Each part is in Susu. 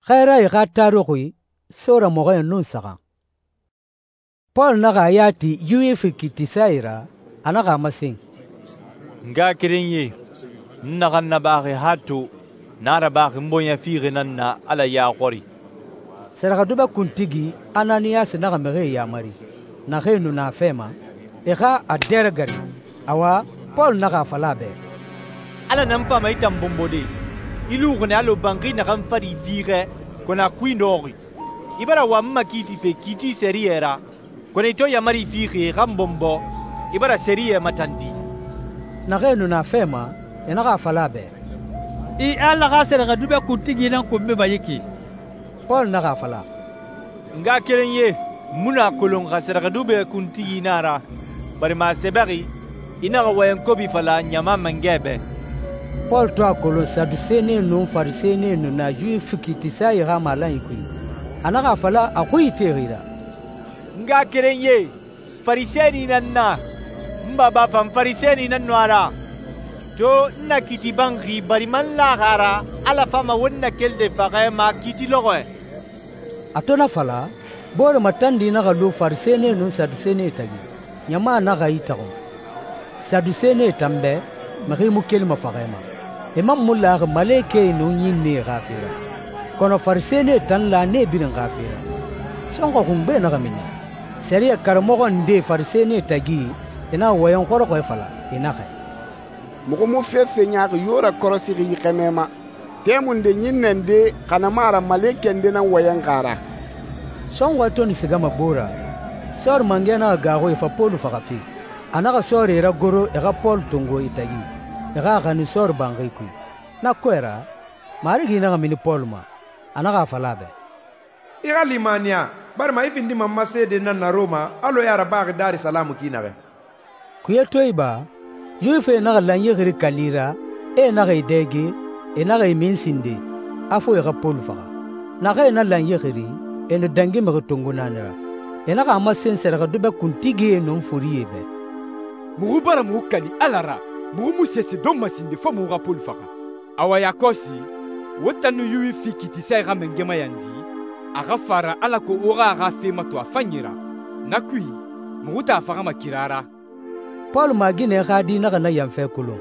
Xɛɛrae xa taruxi sɔɔramɔxɔɲɛn nun saxan. Pɔlu naxa a ya ti Yuwifi kiitisae ra, a naxa a masen, «N ngaxakerenyie, n naxan nabaxi han to, na rabaxi n bɔɲɛ fiixi nan na Ala ya xɔri.» Sɛrɛxɛdubɛ kuntigi Ananiyasi naxa mixie yamari, naxee nu na a fɛ ma, e xa a dɛrɛgɛri. Awa, Pɔlu naxa a fala a bɛ, «Ala nan fama i tan bɔnbɔde. I luxi nɛ alɔ banxi naxan fari fiixɛ, kɔnɔ a kui nɔxi. I bara wa n makiitife kiiti sɛriyɛ ra, kɔnɔ i to yaamari fixi e xa n bɔnbɔ, i bara sɛriyɛ matandi.» Naxee nu na a fɛ ma, e naxa a fala a bɛ, «I Ala xa sɛrɛxɛdubɛ kuntigi nan konbima yi ki.» Pɔlu naxa a fala, «N ngaxakerenyie, n mu nu a kolon xa sɛrɛxɛdubɛ kuntigi nan a ra, barima a sɛbɛxi, i naxa wɔyɛn kobi fala ɲama mangɛ bɛ.» Pɔlu to a kolon Sadusenie nun Farisɛnie nu na Yuwifi kiitisae xa malanyi kui, a naxa a fala a xui itexi ra, «N ngaxakerenyie, Farisɛni nan na. N baba fan Farisɛni nan nu a ra. To n na kiiti banxi barima n laxi a ra Ala fama won nakelide faxɛ ma kiiti lɔxɔɛ.» A to na fala, boore matandi naxa lu Farisɛnie nun Sadusenie tagi. Ɲama naxa itaxun. Sadusenie tan bɛ, mixi mu kelima faxɛ ma. E man mu laxi malekɛe nun ɲinnee xa fe ra. Kɔnɔ Farisɛnie tan la nee birin xa fe ra. Sɔnxɔ xungbe naxa mini. Sɛriyɛ karamɔxɔ nde Farisɛnie tagi, e na wɔyɛn xɔrɔxɔɛ fala, e naxɛ, muxu mu fefe ɲaaxi yo rakɔrɔsixi yi xɛmɛ ma. Tɛmunde ɲinnɛ nde xa na mu a ra malekɛ nde nan wɔyɛn xa ra. Sɔnxɔɛ to nu sigama gbo ra, sɔɔri mangɛ naxa gaaxu e fa Pɔlu faxafe. A naxa sɔɔri ragoro e xa Pɔlu tongo e tagi, e xa a xanin sɔɔri banxi kui. Na kɔɛ ra, Marigi naxa mini Pɔlu ma, a naxa a fala a bɛ, «I xa limaniya, barima i findima n ma seede nan na Rɔma alɔ i a rabaxi Darisalamu ki naxɛ.» Kuye to iba, Yuwifie naxa lanyi xiri kali ra, e naxa e dɛge, e naxa e min sinde, a fo e xa Pɔlu faxa. Naxa e na lanyi xiri, e nu dangi mixi tongo naani ra. E naxa a masen sɛrɛxɛdubɛ kuntigie nun forie bɛ, muxu bara muxu kali Ala ra, muxu mu sese don masinde fo muxu xa Pɔlu faxa. Awa yakɔsi, wo tan nu Yuwifi kiitisae xa mangɛma yandi, a xa fara alako wo xa a xa fe mato a fanyi ra. Na kui, muxu ta a faxama kira ra.» Pɔlu maaginɛ xa di naxa na yanfɛ kolon.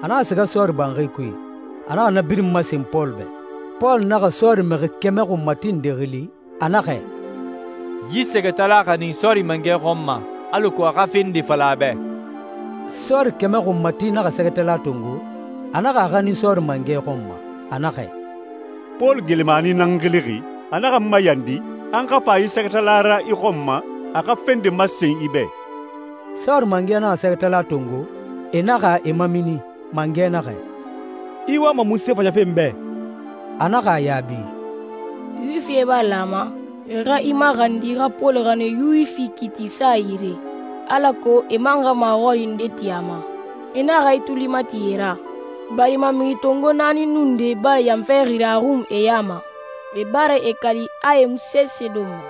A naxa siga sɔɔri banxi kui, a naxa na birin masen Pɔlu bɛ. Pɔlu naxa sɔɔri mixi kɛmɛ xunmati nde xili, a naxɛ, «Yi sɛgɛtala xanin sɔɔri mangɛ xɔn ma, alako a xa fe nde fala a bɛ.» Sɔɔri kɛmɛ xunmati naxa sɛgɛtala tongo, a naxa a xanin sɔɔri mangɛ xɔn ma, a naxɛ, «Pɔlu gelemani nan xilixi, a naxa n mayandi an xa fa yi sɛgɛtala ra i xɔn ma, a xa fen de masen i bɛ.» Sɔɔri mangɛ naxa sɛgɛtala tongo, e naxa e mamini. Mangɛ naxɛ, «I wama mun se fɔɲɛfe n bɛ?» A naxa a yaabi, Yuwifie b'a lama, e xa i maxandi xa Pɔlu xanin Yuwifi kiitisae yire, alako e man xa maxɔri nde ti a ma. E naxa i tuli mati e ra, barima mixi tongo naani nun de bara yanfɛ xiri a xun e ya ma. E bara e kali a e mu sese don ma.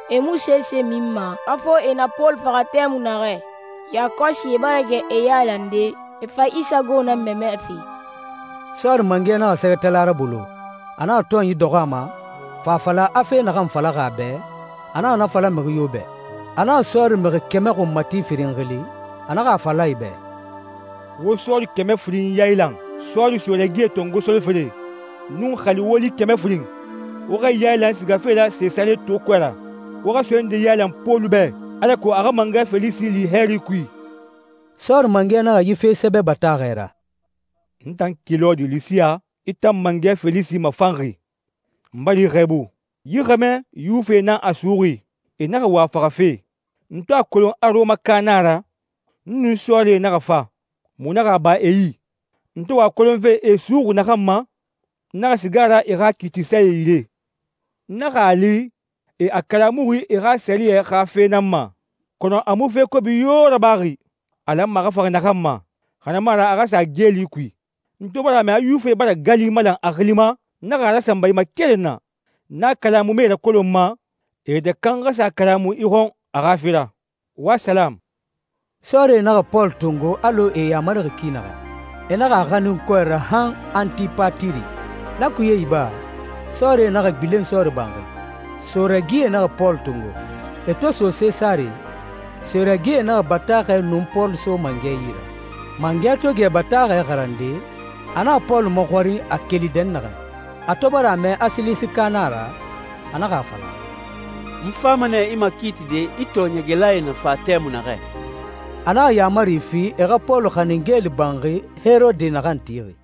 E mu sese min ma, a fo e na Pɔlu faxa tɛmu naxɛ. Yakɔsi e bara kɛ e yaalande, e fa Isa go na mɛmɛ fe. Sɔɔri mangɛ naxa sɛgɛtala ra bolo, a naxa tɔn yi dɔxɔ a ma, fa a fala a fe naxan falaxi a bɛ, a naxa na fala mixi yo bɛ. A naxa sɔɔri mixi kɛmɛ xunmati firin xili, a naxa a fala i bɛ, Wo sɔɔri kɛmɛ firin yayilan, sɔɔri sɔrɛgie tongo solifere, nun xali woli kɛmɛ firin. Wo xa yayilan sigafe la Sesare to kɔɛ ra. Wo xa soɲɛ nde yayilan Pɔlu bɛ, alako a xa mangɛ Felisi li hɛri kui. Sɔɔri mangɛ naxa yi fe sɛbɛ bataaxɛ ra, N tan Kilɔdi Lisiya, i tan mangɛ Felisi mafanxi. N bara i xɛɛbu. Yi xɛmɛ Yuwifie nan a suxi, e naxa wa a faxafe. N to a kolon a Rɔmaka nan a ra, n nun sɔɔrie naxa fa. Mu naxa a ba e yi. N to wa a kolonfe e suxi naxan ma, n naxa siga a ra e xa kiitisae yire. N naxa a li e a kalamuxi e xa sɛriyɛ xa fe nan ma, kɔnɔ a mu fe kobi yo rabaxi. A lanma a xa faxa naxan ma, xa na mu a ra a xa sa geeli kui. N to bara a mɛ a Yuwifie bara gali malan a xili ma, n naxa a rasanba i ma keren na. N'a kalamu me rakolon ma, e yɛtɛ kan xa sa kalamu i xɔn a xa fe ra. Wa salam. Sɔɔrie naxa Pɔlu tongo alɔ e yamarixi ki naxa. E naxa a xanin kɔɛ ra han Antipatiri. Na kuye iba, Sɔɔrie naxa gbilen sɔɔri banxi. Sɔrɛgie naxa Pɔlu tongo. E to so Sesare, sɔrɛgie naxa bataaxɛ nun Pɔlu so mangɛ yi ra. Mangɛ to gɛ bataaxɛ xarande, a naxa Pɔlu maxɔrin a keli dɛnnaxɛ. A to bara a mɛ a Silisika nan a ra, a naxa a fala, «N fama nɛ i makiitide i tɔɔɲɛgɛlae na fa tɛmui naxɛ.» A naxa yaamari fi e xa Pɔlu xanin geeli banxi Herode naxan tixi.